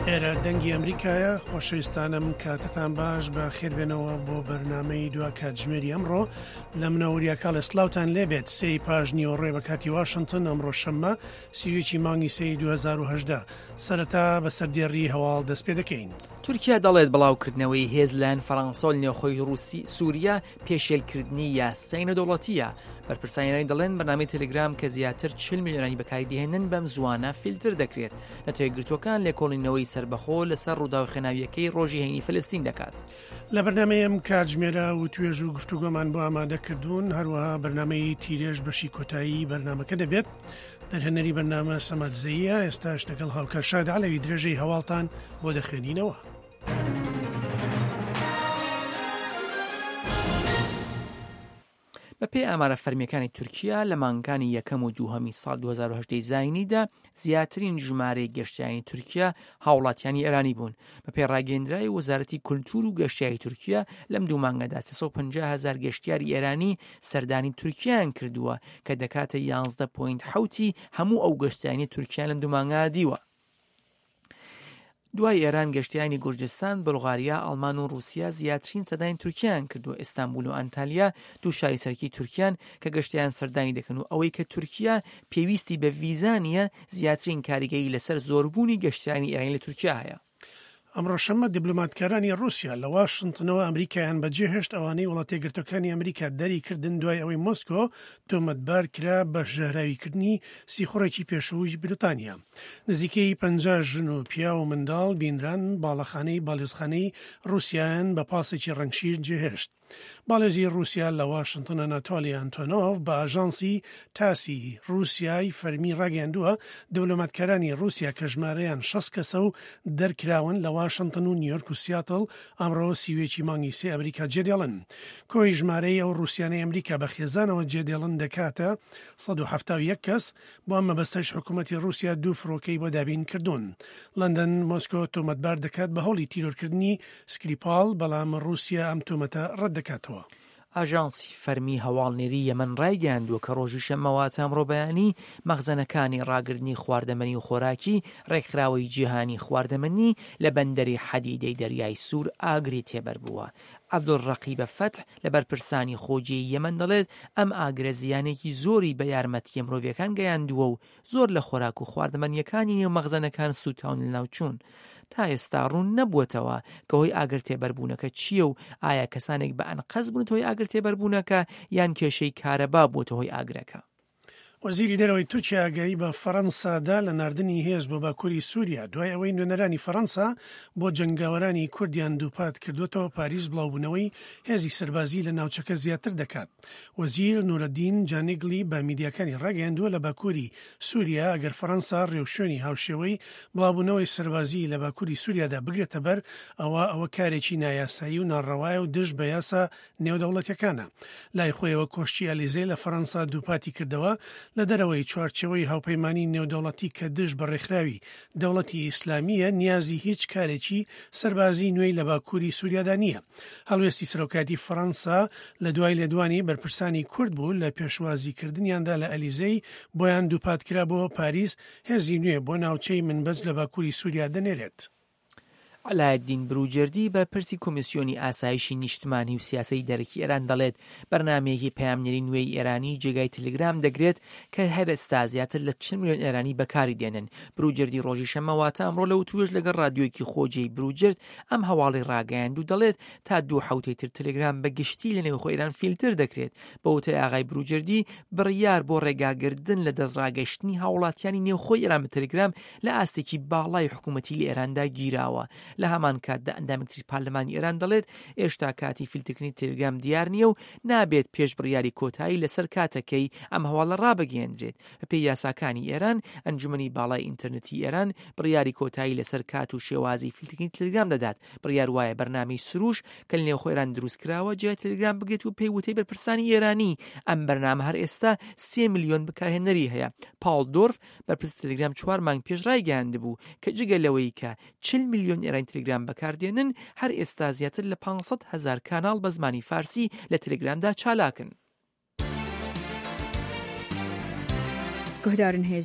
ئێرە دەنگی ئەمریکایە خۆشەویستانم کاتتان باش بە خێربێنەوە بۆ بەرنمەی دوا کاتژمێری ئەمڕۆ لە منەوەریا کاڵێ سلااوان لێبێت سێی پاش نیوەڕێ بە کاتی واشنتن ئەمڕۆ شەممە سیویەکی مانگی سێی 2010 سەرەتا بە سەردێڕی هەواڵ دەست پێ دەکەین. تورکیا دەڵێت بڵاوکردنەوەی هێز لایەن فەڕەنسەوە لە نێوخۆی ڕووسی سووریا پێشێلکردنی یاسای نێودەوڵەتییە. بەرپرسانی ئێرانی دەڵێن بەرنامەی تەلەگرام کە زیاتر 40 ملیۆن ئێرانی بەکاری دەهێنن بەم زووانە فیلتر دەکرێت. نەتەوە یەکگرتووەکان لێکۆڵینەوەی سەربەخۆ لەسەر ڕووداوە خوێناوییەکەی ڕۆژی هەینی فەلەستین دەکات. لە بەرنامەی ئەم کاتژمێرە وتوێژ و گفتوگۆمان بۆ ئامادە کردوون، هەروەها بەرنامەی تیرێژ بەشی کۆتایی بەرنامەکە دەبێت. دەرهێنەری بەرنامە سەما دزەییە، ئێستاش لەگەڵ هاوکار شاد عەلەوی درێژەی هەواڵتان بۆ دەخوێنینەوە. بەپێی ئامارە فەرمییەکانی تورکیا، لە مانگەکانی یەکەم و دووهەمی ساڵ 2018 ی زایینیدا زیاترین ژمارەی گەشتیارانی تورکیا هاوڵاتیانی ئێرانی بوون. بەپێی ڕاگەیەندراوی وەزارەتی کولتوور و گەشتیاری تورکیا، لەم دوو مانگەدا 350 هەزار گەشتیاری ئێرانی سەردانی تورکیایان کردووە کە دەکاتە 11 پۆینت حەوتی هەموو ئەو گەشتیارانەی تورکیان لەم دوو مانگە دیوە. دوای ئێران گەشتیانی گورجستان، بولغاریا، ئەڵمان و ڕووسیا زیاترین سەردانی تورکیایان کردووە، ئیستانبول و ئەنتالیا دوو شاری سەرەکی تورکیان کە گەشتیان سەردانی دەکەن و ئەوەی کە تورکیا پێویستی بە ڤیزا نییە زیاترین کاریگەری لەسەر زۆربوونی گەشتیانی ئێرانی لە تورکیا هەیە. ئەمڕۆ شەممە دیبلۆماتکارانی ڕووسیا لە واشنتنەوە ئەمریکایان بەجێهێشت، ئەوانەی وڵاتەیەکگرتووەکانی ئەمریکا دەریکردن دوای ئەوەی مۆسکۆ تۆمەتبار کرا بە ژەهراویکردنی سیخوڕێکی پێشووی بریتانیا. نزیکەی 50 ژن و پیاو و منداڵ بینران باڵەخانەی باڵیۆزخانەی ڕووسیایان بە پاسێکی ڕەنگ شیر جێهێشت. باڵێزی ڕووسیا لە واشنتن ئەناتۆلی ئەنتۆنۆڤ بە ئاژانسی تاسی ڕووسیای فەرمی ڕاگەیاندووە، دبلۆماتکارانی ڕووسیا کە ژمارەیان 60 کەسە و دەرکراون لە واشنتن و نیویۆرک و سیاتڵ ئەمڕۆ 31 ی مانگی سێ ئەمریکا جێدێڵن. کۆی ژمارەی ئەو ڕووسیانەی ئەمریکا بە خێزانەوە جێدێڵن دەکاتە 171 کەس، بۆ ئەم مەبەستەش حکومەتی ڕووسیا دوو فڕۆکەی بۆ دابین کردوون. لەندەن مۆسکۆ تۆمەتبار دەکات بە هەوڵی تیرۆرکردنی سکریپاڵ، بەڵام ڕووسیا ئەم تۆمەتە ڕەت دەکاتەوە. ئاژانسی فەرمی هەواڵنێری یەمەن ڕایگەیاندووە کە ڕۆژی شەممە واتە ئەمڕۆ بەیانی، مەخزەنەکانی ڕاگرتنی خواردەمەنی و خۆراکی ڕێکخراوەی جیهانی خواردەمەنی لە بەندەری حەدیدەی دەریای سوور ئاگری تێبەربووە. عەبدولڕەقیبە فەتح لە بەرپرسانی خۆجێی یەمەن دەڵێت، ئەم ئاگرە زیانێکی زۆری بە یارمەتییە مرۆڤییەکان گەیاندووە و زۆر لە خۆراک و خواردەمەنییەکانی نێو مەخزەنەکان سووتاون لەناوچوون. تا ئێستا ڕوون نەبووەتەوە کە هۆی ئاگرتێبەربوونەکە چییە و ئایا کەسانێک بە ئەنقەست بوونەتە هۆی ئاگرتێبەربوونەکە یان کێشەی کارەبا بووەتە هۆی ئاگرەکە. وەزیری دەرەوەی تورکیا ئاگایی بە فەرەنسا دا لە ناردنی هێز بۆ باکووری سووریا، دوای ئەوەی نوێنەرانی فەرەنسا بۆ جەنگاوەرانی کوردیان دووپات کردووەتەوە پاریس بڵاوبوونەوەی هێزی سەربازی لە ناوچەکە زیاتر دەکات. وەزیر نورەدین جانیگلی بە میدیاکانی ڕاگەیاندووە لە باکووری سووریا ئەگەر فەرەنسا ڕێوشوێنی هاوشێوەی بڵاوبوونەوەی سەربازی لە باکووری سووریادا بگرێتەبەر ئەوا ئەوە کارێکی نایاسایی و ناڕەوایە و دژ بە یاسا نێودەوڵەتیەکانە. لای خۆیەوە کۆشکی ئەلیزێ لە فەرەنسا دووپاتی کردەوە، لە دەرەوەی چوارچێوەی هاوپەیمانی نێودەوڵەتی کە دژ بە ڕێکخراوی دەوڵەتی ئیسلامییە، نیازی هیچ کارێکی سەربازی نوێی لە باکووری سووریادا نییە. هەڵوێستی سەرۆکایەتی فەرەنسا لە دوای لێدوانی بەرپرسانی کورد بوو لە پێشوازیکردنیاندا لە ئەلیزێی بۆیان دووپاتکرابۆوە پاریس هێزی نوێ بۆ ناوچەی منبەج لە باکووری سووریا دەنێرێت. عەلایەدین بروجێردی بەرپرسی کۆمیسیۆنی ئاسایشی نیشتمانی و سیاسەتی دەرەکی ئێران دەڵێت بەرنامەیەکی پەیامنێری نوێی ئێرانی جێگای تلگرام دەگرێت کە هەر ئێستا زیاتر لە 40 ملیۆن ئێرانی بەکاری دێنن. بروجێردی ڕۆژی شەممە واتە ئەمڕۆ لە وتووێژ لەگەڵ ڕادیۆیەکی خۆجێی بروجرد ئەم هەواڵەی ڕاگەیاند و دەڵێت تا دوو حەوتەی تر تلگرام بە گشتی لە نێوخۆی ئێران فیلتر دەکرێت. بە وتەی ئاغای بروجردی بڕیار بۆ ڕێگاگردن لە دەستڕاگەیشتنی هاوڵاتیانی نێوخۆی ئێران بە تلگرام لە ئاستێکی باڵای حکوومەتی لە ئێراندا گیراوە. لە هەمان کاتدا ئەندامێکی تری پارلەمانی ئێران دەڵێت، ئێشتا کاتی فیلترکردنی تێلگرام دیار نییە و نابێت پێش بڕیاری کۆتایی لەسەر کاتەکەی ئەم هەواڵە ڕابگەیەندرێت. بەپێی یاساکانی ئێران، ئەنجومەنی باڵای ئینتەرنێتی ئێران بڕیاری کۆتایی لەسەر کات و شێوازی فیلترکردنی تێلگرام دەدات. بڕیار وایە بەرنامەی سروش کە لە نێوخۆ ئێران دروست کراوە جێگای تێلگرام بگرێت و پێی وتەی بەرپرسانی ئێرانی ئەم بەرنامە هەر ئێستا سێ ملیۆن بەکارهێنەری هەیە. پاڵ دۆرف بەرپرسی تەلەگرام چوار مانگ پێش ڕایگەیاندبوو کە جگە لەوەی کە 40 ملیۆن ئێرانی تەلەگرام بەکاردێنن، هەر ئێستا زیاتر لە 500 هەزار کاناڵ بە زمانی فارسی لە تەلەگرامدا چالاکن. گوهدارن هێژا.